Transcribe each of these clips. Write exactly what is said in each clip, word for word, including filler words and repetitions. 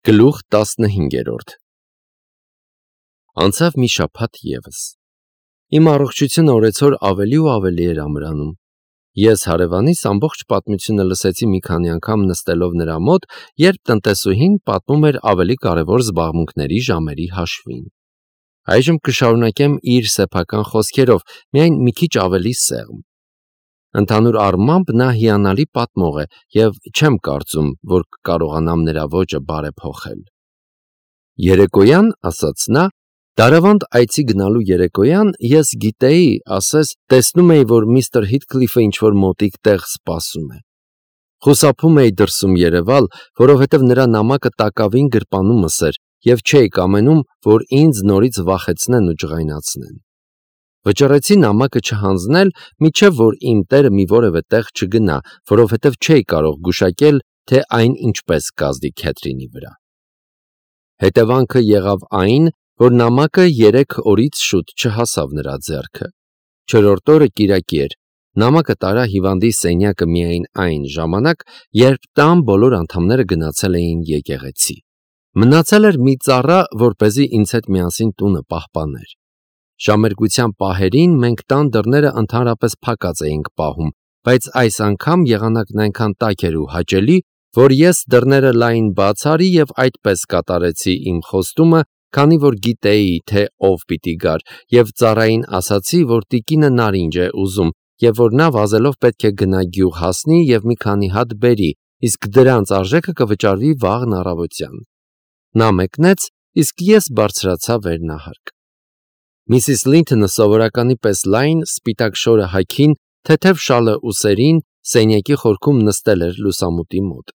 Գլուխ տասնհինգերորդ Անցավ մի շաբաթ ևս։ Իմ առողջությունը օրեցօր ավելի ու ավելի էր ամրանում։ Ես հարևանիս ամբողջ պատմությունը լսեցի մի քանի անգամ նստելով նրա մոտ, երբ տնտեսուհին պատմում էր ավելի կարևոր զբաղմունքների ժամերի հաշվին։ Այժմ կշարունակեմ իր սեփական խոսքերով, միայն մի քիչ ավելի սեղմ։ Ընդհանուր առմամբ նա հիանալի պատմող է, և չեմ կարծում, որ կկարողանամ նրա ոճը բարեփոխել։ Երեկոյան, ասաց նա, դարավանդ այցի գնալու երեկոյան, ես գիտեի, ասես, տեսնում էի, որ միստր Հիթքլիֆը ինչ-որ մոտիկ տեղ սպասում է։ Խուսափում էի դրսում երևալ, որովհետև նրա նամակը տակավին գրպանումս էր, և չէի կամենում, որ ինձ նորից վախեցնեն ու ջղայնացնեն։ Վճռեցի նամակը չհանձնել, մինչև որ իմ տերը մի որևէ տեղ չգնա, որովհետև չէի կարող գուշակել, թե այն ինչպես կազդի Քեթրինի վրա։ Հետևանքը եղավ այն, որ նամակը երեք օրից շուտ չհասավ նրա ձեռքը։ Չորրորդ օրը կիրակի էր։ Նամակը տարա հիվանդի սենյակը միայն այն ժամանակ, երբ տան բոլոր անդամները գնացել էին եկեղեցի։ Մնացել էր մի ծառա, որպեսզի ինձ հետ միասին տունը պահպաներ։ Ժամերգության պահերին մենք տան դռները ընդհանրապես փակած էինք պահում, բայց այս անգամ եղանակն այնքան տաք էր ու հաճելի, որ ես դռները լայն բաց արի և այդպես կատարեցի իմ խոստումը, քանի որ գիտեի, թե ով պիտի գար, և ծառային ասացի, որ տիկինը նարինջ է ուզում, և որ նա վազելով պետք է գնա գյուղ հասնի և մի քանի հատ բերի, իսկ դրանց արժեքը կվճարվի վաղն առավոտյան։ Նա մեկնեց, իսկ ես բարձրացա վերնահարկ։ Միսիս Լինթոնը սովորականի պես լայն, սպիտակ շորը հագին, թեթև շալը ուսերին, սենյակի խորքում նստել էր լուսամուտի մոտ։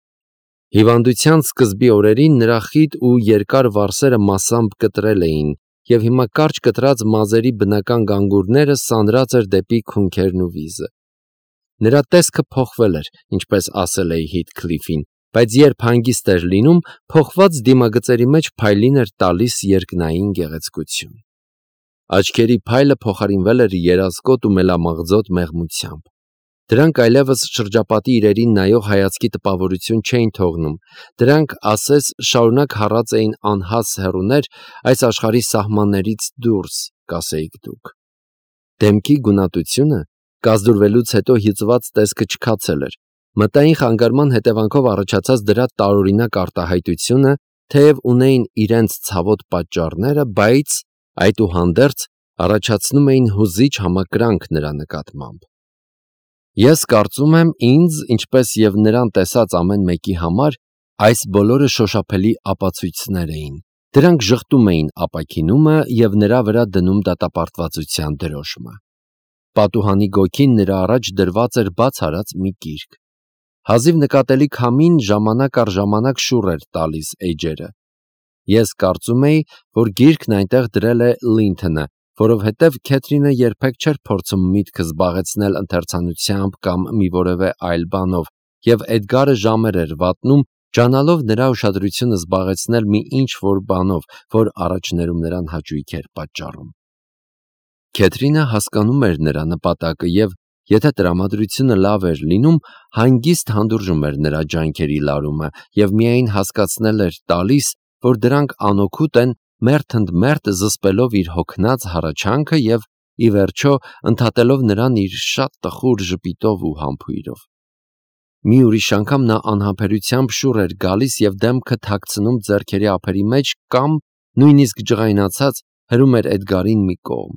Հիվանդության սկզբի օրերին նրա խիտ ու երկար վարսերը մասամբ կտրել էին, և հիմա կարճ կտրած մազերի բնական գանգուրները սանրած էր դեպի քունքերն ու վիզը։ Նրա տեսքը փոխվել էր, ինչպես ասել էի Հիթքլիֆին, բայց երբ հանգիստ էր լինում, փոխված դիմագծերի մեջ փայլին էր տալիս երկնային գեղեցկություն։ Աչքերի փայլը փոխարինվել էր երազկոտ ու մելամաղձոտ մեղմությամբ։ Դրանք այլևս շրջապատի իրերին նայող հայացքի տպավորություն չէին թողնում, դրանք, ասես, շարունակ հառած էին անհաս հեռուներ այս աշխարհի սահմաններից դուրս, կասեիք դուք։ Դեմքի գունատությունը կազդուրվելուց հետո հյուծված տեսքը չքացել էր։ Մտային խանգարման հետևանքով առաջացած դրա տարօրինակ արտահայտությունը, թեև ունեին իրենց ցավոտ պատճառները, բայց, այդուհանդերձ, առաջացնում էին հուզիչ համակրանք նրա նկատմամբ։ Ես կարծում եմ, ինձ, ինչպես և նրան տեսած ամեն մեկի համար, այս բոլորը շոշափելի ապացույցներ էին։ Դրանք ժխտում էին ապաքինումը և նրա վրա դնում դատապարտվածության դրոշմը։ Պատուհանի գոգին նրա առաջ դրված էր բաց արած մի գիրք։ Հազիվ նկատելի քամին ժամանակ առ ժամանակ շուռ էր տալիս էջերը։ Ես կարծում էի, որ գիրքն այնտեղ դրել է Լինթոնը, որովհետև Քեթրինը երբեք չէր փորձում միտքը զբաղեցնել ընթերցանությամբ կամ մի որևէ այլ բանով, և Էդգարը ժամեր էր վատնում, ջանալով նրա ուշադրությունը զբաղեցնել մի ինչ-որ բանով, որ առաջներում նրան հաճույք էր պատճառում։ Քեթրինը հասկանում էր նրա նպատակը և, եթե տրամադրությունը լավ էր լինում, հանգիստ հանդուրժում էր նրա ջանքերի լարումը և միայն հասկացնել էր տալիս, որ դրանք անօգուտ են, մերթ ընդ մերթ զսպելով իր հոգնած հառաչանքը և, ի վերջո, ընդհատելով նրան իր շատ տխուր ժպիտով ու համբույրով։ Մի ուրիշ անգամ նա անհամբերությամբ շուռ էր գալիս և դեմքը թաքցնում ձեռքերի ափերի մեջ կամ, նույնիսկ ջղայնացած, հրում էր Էդգարին մի կողմ։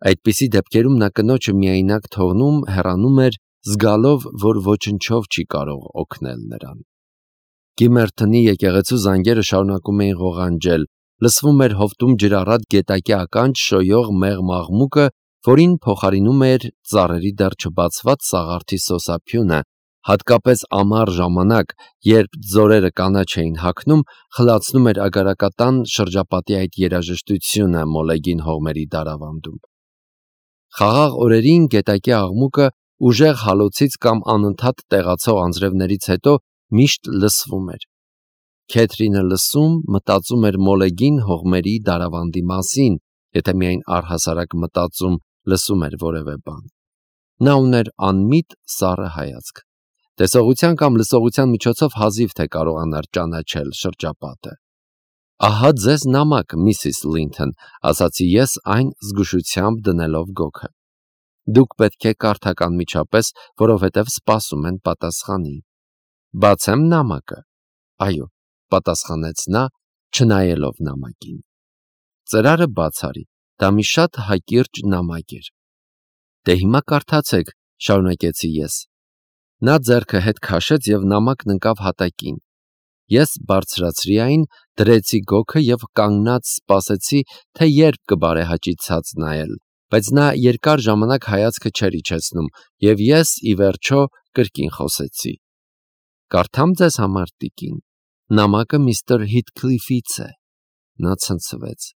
Այդպիսի դեպքերում նա կնոջը միայնակ թողնում, հեռանում էր, զգալով, որ ոչնչով չի կարող օգնել նրան։ Գիմերթոնի եկեղեցու զանգերը շարունակում էին ղողանջել, լսվում էր հովտում ջրառատ գետակի ականջ շոյող մեղմ աղմուկը, որին փոխարինում էր ծառերի դեռ չբացված սաղարթի սոսափյունը, հատկապես ամառ ժամանակ, երբ ձորերը կանաչ էին հագնում, խլացնում էր Ագարակատան շրջապատի այդ երաժշտությունը մոլեգին հողմերի դարավանդում։ Խաղաղ օրերին գետակի աղմուկը ուժեղ հալոցից կամ անընդհատ տեղացող անձրևներից հետո միշտ լսվում էր։ Քեթրինը լսում, մտածում էր մոլեգին հողմերի դարավանդի մասին, եթե միայն առհասարակ մտածում, լսում էր որևէ բան։ Նա ուներ անմիտ սառը հայացք։ Տեսողության կամ լսողության միջոցով հազիվ թե կարողանար ճանաչել շրջապատը։ Ահա ձեզ նամակ, միսիս Լինթոն, ասացի ես այն զգուշությամբ դնելով գոգը։ Դուք պետք է կարդաք անմիջապես, որովհետև սպասում են պատասխանի։ Բացեմ նամակը։ Այո, պատասխանեց նա, չնայելով նամակին։ Ծրարը բաց արի, դա մի շատ հակիրճ նամակ էր։ Դե հիմա կարդացեք, շարունակեցի ես։ Նա ձեռքը հետ քաշեց և նամակն ընկավ հատակին։ Ես բարձրացրի այն, դրեցի գոգը և կանգնած սպասեցի, թե երբ կբարեհաճի ցած նայել, բայց նա երկար ժամանակ հայացքը չէր իջեցնում, և ես, ի վերջո, կրկին խոսեցի. Կարդամ ձեզ համար, տիկին, նամակը միստր Հիթքլիֆից է։ Նա ցնցվեց։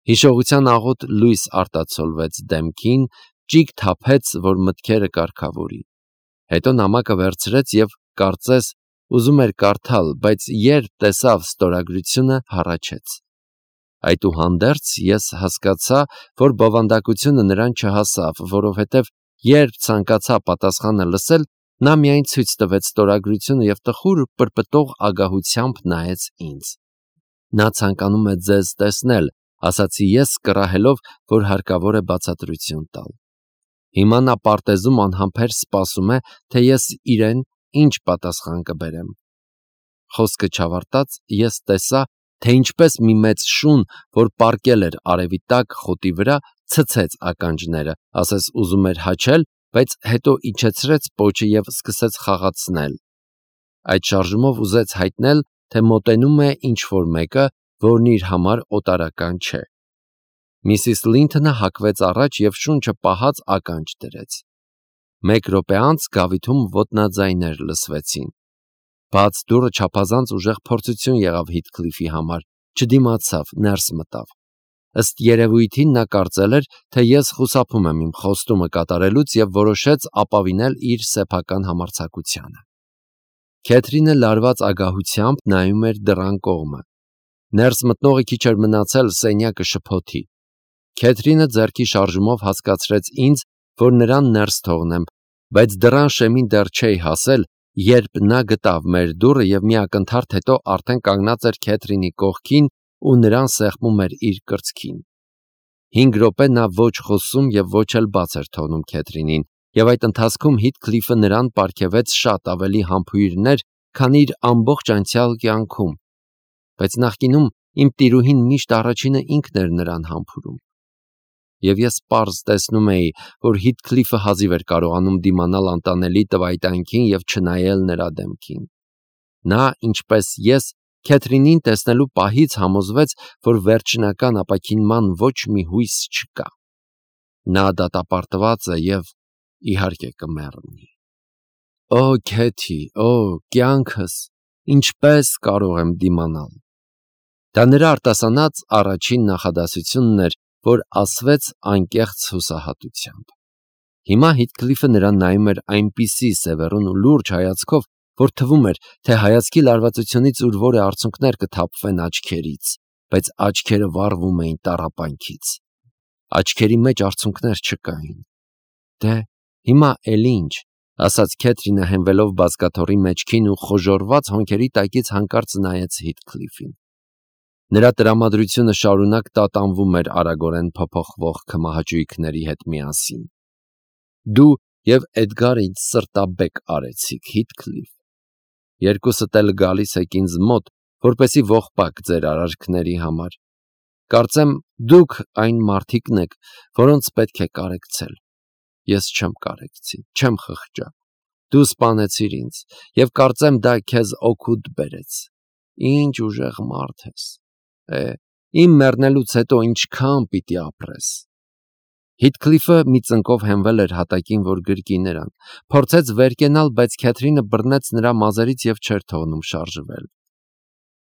Հիշողության աղոտ լույս արտացոլվեց դեմքին, ճիգ թափեց, որ մտքերը կարգավորի։ Հետո նամակը վերցրեց և, կարծես, ուզում էր կարդալ, բայց երբ տեսավ ստորագրությունը, հառաչեց։ Այդուհանդերձ ես հասկացա, որ բովանդակությունը նրան չհասավ, որովհետև երբ ցանկացա պատասխանը լսել, նա միայն ցույց տվեց ստորագրությունը և տխուր պրպտող ագահությամբ նայեց ինձ։ Նա ցանկանում է ձեզ տեսնել, ասացի ես, կռահելով, որ հարկավոր է բացատրություն տալ։ Հիմա նա պարտեզում անհամբեր սպասում է, թե ես իրեն ինչ պատասխան կբերեմ։ Խոսքը չավարտած ես տեսա, թե ինչպես մի մեծ շուն, որ պառկել էր արևի տակ խոտի վրա, ցցեց ականջները, ասես ուզում էր հաչել, բայց հետո իջեցրեց պոչը և սկսեց խաղացնել։ Այդ շարժումով ուզեց հայտնել, թե մոտենում է ինչ-որ մեկը, որն իր համար օտարական չէ։ Միսիս Լինթոնը հակվեց առաջ և շունչը պահած ականջ դրեց։ Մեկ րոպե անց գավիթում ոտնաձայներ լսվեցին։ Բաց դուռը չափազանց ուժեղ փորձություն եղավ Հիթքլիֆի համար, չդիմացավ, ներս մտավ։ Ըստ երևույթին նա կարծել էր, թե ես խուսափում եմ իմ խոստումը կատարելուց և որոշեց ապավինել իր սեփական համարձակությանը։ Քեթրինը լարված ագահությամբ նայում էր դռան կողմը։ Ներս մտնողը քիչ էր մնացել սենյակը շփոթի։ Քեթրինը ձեռքի շարժումով հասկացրեց ինձ, որ նրան ներս թողնեմ, բայց դռան շեմին դեռ չէի հասել, երբ նա գտավ մեր դուռը և մի ակնթարթ հետո արդեն կանգնած էր Քեթրինի կողքին ու նրան սեղմում էր իր կրծքին։ Հինգ րոպե նա ոչ խոսում և ոչ էլ բաց էր թողնում Քեթրինին, և այդ ընթացքում Հիթքլիֆը նրան պարգևեց շատ ավելի համբույրներ, քան իր ամբողջ անցյալ կյանքում։ Բայց նախկինում իմ տիրուհին միշտ առաջինը ինքն էր նրան համբուրում։ Եվ ես պարզ տեսնում էի, որ Հիթքլիֆը հազիվ էր կարողանում դիմանալ անտանելի տվայտանքին և չնայել նրա դեմքին։ Նա, ինչպես ես, Քեթրինին տեսնելու պահից համոզվեց, որ վերջնական ապաքինման ոչ մի հույս չկա։ Նա դատապարտված է և, իհարկե, կմեռնի։ Օ, Քեթի, օ, կյանքս, ինչպես կարող եմ դիմանալ։ Դա նրա արտասանած առաջին նախադասությունն էր, որ ասվեց անկեղծ հուսահատությամբ։ Հիմա Հիթքլիֆը նրան նայում էր այնպիսի սևեռուն ու լուրջ հայացքով, որ թվում էր, թե հայացքի լարվածությունից ուր որե արցունքներ կթափվեն աչքերից, բայց աչքերը վառվում էին տառապանքից։ Աչքերի մեջ արցունքներ չկային։ Դե, հիմա էլ ինչ, ասաց Քեթրինը հենվելով բազկաթոռի մեջքին ու խոժոռված հոնքերի տակից հանկարծ նայեց Հիթքլիֆին։ Նրա տրամադրությունը շարունակ տատանվում էր արագորեն փոփոխվող քմահաճույքների հետ միասին։ Դու և Էդգարը ինձ սրտաբեկ արեցիք, Հիթքլիֆ։ Երկուսդ էլ գալիս եք ինձ մոտ, որպեսզի ողբակ ձեր արարքների համար։ Կարծեմ, դուք այն մարդիկն եք, որոնց պետք է կարեկցել։ Ես չեմ կարեկցի, չեմ խղճա։ Դու սպանեցիր ինձ, և կարծեմ դա քեզ օգուտ բերեց։ Ինչ ուժեղ մարդ ես։ Է, իմ մեռնելուց հետո ինչքան պիտի ապրես։ Հիթքլիֆը մի ծնկով հենվել էր հատակին, որ գրկի նրան, փորձեց վեր կենալ, բայց Քեթրինը բռնեց նրա մազերից և չէր թողնում շարժվել։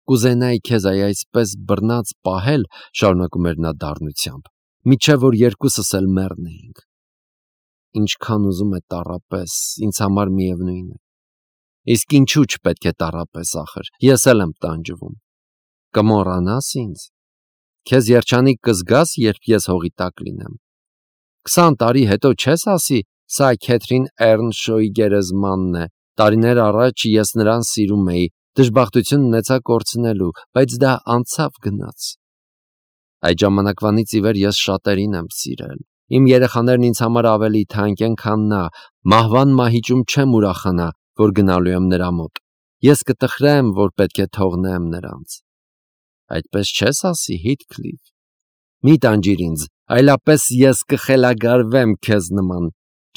Կուզենայի քեզ այ այսպես բռնած պահել, շարունակում էր նա դառնությամբ, մինչև որ երկուսս էլ մեռնեինք։ Ինչքան ուզում է տառապես, ինձ համար միևնույն է։ Իսկ ինչու չպետք է տառապես ախր, ես էլ եմ տանջվում։ Կմոռանա՞ս ինձ։ Քեզ երջանիկ կզգաս, երբ ես հողի տակ լինեմ։ Քսան տարի հետո չես ասի, սա Քեթրին Էռնշոուի գերեզմանն է, Տարիներ առաջ ես նրան սիրում էի, դժբախտություն ունեցա կորցնելու, բայց դա անցավ գնաց։ Այդ ժամանակվանից ի վեր ես շատերին եմ սիրել։ Իմ երեխաներն ինձ համար ավելի թանկ են, քան նա, մահվան մահիճում չեմ ուրախանա, որ գնալու եմ նրա մոտ։ Ես կտխրեմ, որ պետք է թողնեմ նրանց։ Այդպես չես ասի, Հիթքլիֆ։ Մի տանջիր ինձ, այլապես ես կխելագարվեմ քեզ նման,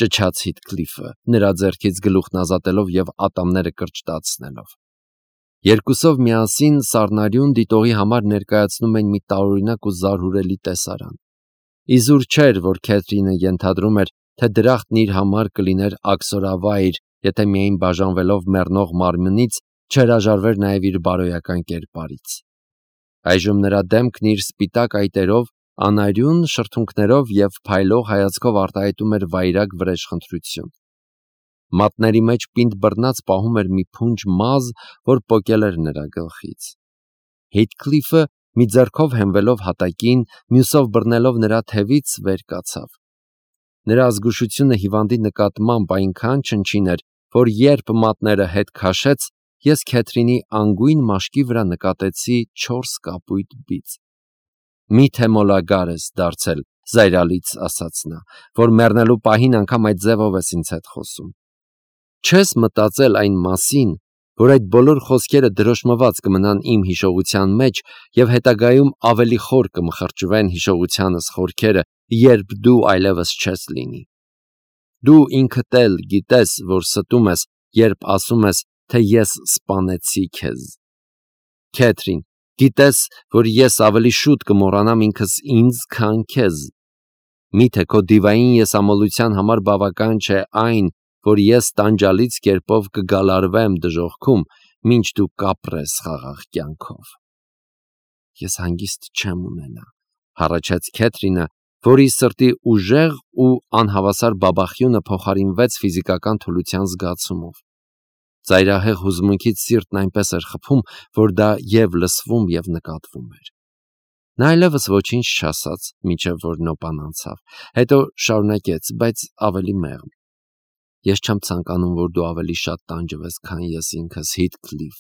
ճչաց Հիթքլիֆը, նրա ձեռքից գլուխն ազատելով եւ ատամները կրճտացնելով։ Երկուսով միասին սառնարյուն դիտողի համար ներկայացնում են մի տարօրինակ ու զարհուրելի տեսարան։ Իզուր չէր, որ Քեթրինը ենթադրում էր, թե դրախտն իր համար կլիներ աքսորավայր, եթե միայն բաժանվելով մեռնող մարմնից չհրաժարվեր նաև իր բարոյական կերպարից։ Այժմ նրա դեմքն իր սպիտակ այտերով, անարյուն շրթունքներով եւ փայլող հայացքով արտահայտում էր վայրագ վրեժխնդրություն։ Մատների մեջ պինդ բռնած պահում էր մի փունջ մազ, որ պոկել էր նրա գլխից։ Հիթքլիֆը մի ձեռքով հենվելով հատակին, մյուսով բռնելով նրա թևից վեր կացավ։ Նրա զգուշությունը հիվանդի նկատմամբ այնքան չնչին էր, որ երբ մատները հետ քաշեց, ես Քեթրինի անգույն մաշկի վրա նկատեցի չորս կապույտ բիծ։ Մի՞թե մոլագար ես դարձել, զայրալից ասաց նա, որ մեռնելու պահին անգամ այդ ձևով ես ինձ հետ խոսում։ Չես մտածել այն մասին, որ այդ բոլոր խոսքերը դրոշմված կմնան իմ հիշողության մեջ եւ հետագայում ավելի խոր կմխրճվեն հիշողությանս խորքերը, երբ դու այլևս չես լինի։ Դու ինքդ էլ գիտես, որ ստում ես, երբ ասում ես, թե ես սպանեցի քեզ։ Քեթրին, գիտես, որ ես ավելի շուտ կմոռանամ ինքս ինձ, քան քեզ։ Միթե քո դիվային եսամոլության համար բավական չէ այն, որ ես տանջալից կերպով կգալարվեմ դժոխքում, մինչ դու կապրես խաղաղ կյանքով։ Ես հանգիստ չեմ ունենա, հառաչեց Քեթրինը, որի սրտի ուժեղ ու անհավասար բաբախյունը փոխարինվեց ֆիզիկական թուլության զգացումով։ Ծայրահեղ հուզմունքից սիրտն այնպես էր խփում, որ դա և լսվում և նկատվում էր։ Նա այլևս ոչինչ չասաց, մինչև որ նոպան անցավ, հետո շարունակեց, բայց ավելի մեղմ. Ես չեմ ցանկանում, որ դու ավելի շատ տանջվես, քան ես ինքս, Հիթքլիֆ։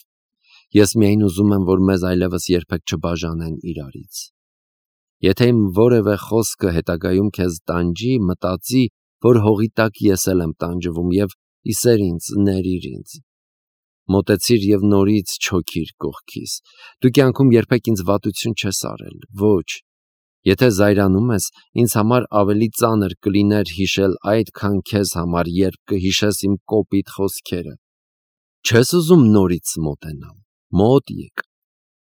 Ես միայն ուզում եմ, որ մեզ այլևս երբեք չբաժանեն իրարից։ Եթե իմ որևէ խոսքը հետագայում քեզ տանջի, մտածի, որ հողի տակ ես էլ եմ տանջվում և իսեր ինձ, ներիր ինձ։ Մոտեցիր և նորից չոքիր կողքիս։ Դու կյանքում երբեք ինձ վատություն չես արել, ոչ։ Եթե զայրանում ես, ինձ համար ավելի ծանր կլիներ հիշել այդ, քան քեզ համար, երբ կհիշես իմ կոպիտ խոսքերը։ Չես ուզում նորից մոտենալ, մոտ եկ։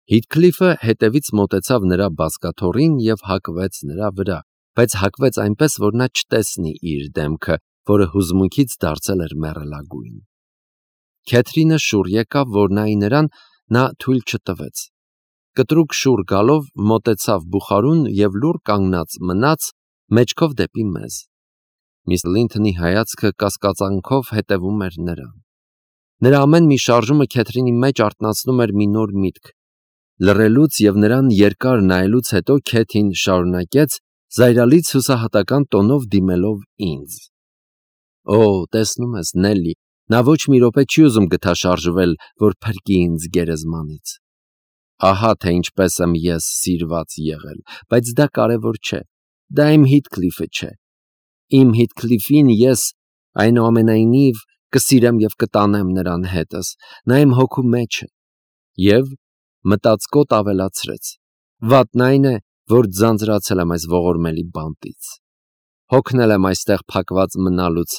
Հիթքլիֆը հետևից մոտեցավ նրա բազկաթոռին և հակվեց նրա վրա, բայց հակվեց այնպես, որ նա չտեսնի իր դեմքը, որը հուզմունքից դարձել էր մեռելագույն։ Քեթրինը շուռ եկավ, որ նայի նրան, նա թույլ չտվեց։ Կտրուկ շուռ գալով մոտեցավ բուխարուն և լուռ կանգնած մնաց մեջքով դեպի մեզ։ Միս Լինթոնի հայացքը կասկածանքով հետևում էր նրան։ Նրա ամեն մի շարժումը Քեթրինի մեջ արթնացնում էր մի նոր միտք։ Լռելուց և նրան երկար նայելուց հետո Քեթին շարունակեց, զայրալից հուսահատական տոնով դիմելով ինձ. Օ, տեսնում ես, Նելլի, նա ոչ մի րոպե չի ուզում գթաշարժվել, որ փրկի ինձ գերեզմանից։ Ահա թե ինչպես եմ ես սիրված եղել, բայց դա կարևոր չէ, դա իմ Հիթքլիֆը չէ։ Իմ Հիթքլիֆին ես, այնուամենայնիվ, կսիրեմ և կտանեմ նրան հետս, նա իմ հոգու մեջ է։ Եվ մտածկոտ ավելացրեց. վատն այն է, որ ձանձրացել եմ այս ողորմելի բանտից։ Հոգնել եմ այստեղ փակված մնալուց,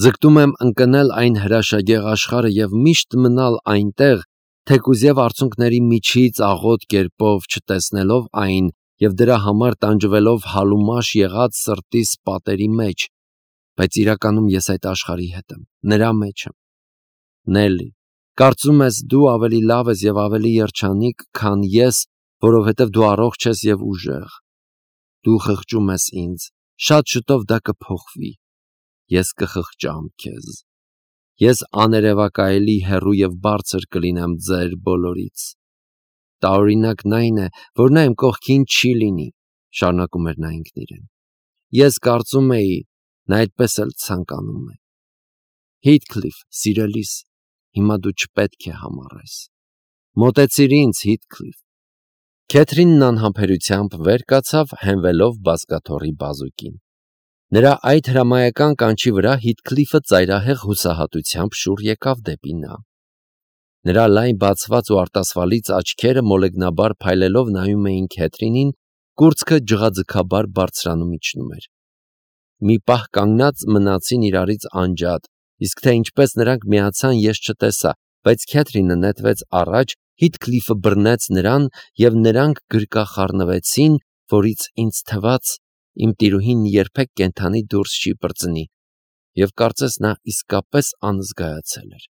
ձգտում եմ ընկնել այն հրաշագեղ աշխարհը և միշտ մնալ այնտեղ, թեկուզ և արցունքների միջից աղոտ կերպով չտեսնելով այն և դրա համար տանջվելով հալումաշ եղած սրտիս պատերի մեջ, բայց իրականում ես այդ աշխարհի հետ եմ, նրա մեջ եմ։ Նելլի, կարծում ես դու ավելի լավ ես և ավելի երջանիկ, քան ես, որովհետև դու առողջ ես և ուժեղ։ Դու խղճում ես ինձ, շատ շուտով դա կփոխվի։ Ես կխղճամ քեզ։ Ես աներևակայելի հեռու և բարձր կլինեմ ձեր բոլորից։ Տարօրինակն այն է, որ նա իմ կողքին չի լինի, շարունակում էր նա ինքն իրեն։ Ես կարծում էի, նա այդպես էլ ցանկանում է։ Heathcliff, սիրելիս, հիմա դու չպետք է համառես։ Մոտեցիր ինձ, Heathcliff։ Քեթրինն անհամբերությամբ վեր կացավ, հենվելով բազկաթոռի բազուկին։ Նրա այդ հրամայական կանչի վրա Heathcliff-ը ծայրահեղ հուսահատությամբ շուռ եկավ դեպի նա։ Նրա լայն բացված ու արտասվալից աչքերը մոլեգնաբար փայլելով նայում էին Քեթրինին, կուրծքը ջղաձգաբար բարձրանում իջնում էր։ Մի պահ կանգնած մնացին իրարից անջատ, իսկ թե ինչպես նրանք միացան, ես չտեսա, բայց Քեթրինը նետվեց առաջ, Heathcliff-ը բռնեց նրան և նրանք գրկախառնվեցին, որից ինձ թվաց, իմ տիրուհին երբեք կենդանի դուրս չի պրծնի, և կարծես նա իսկապես անզգայացել էր։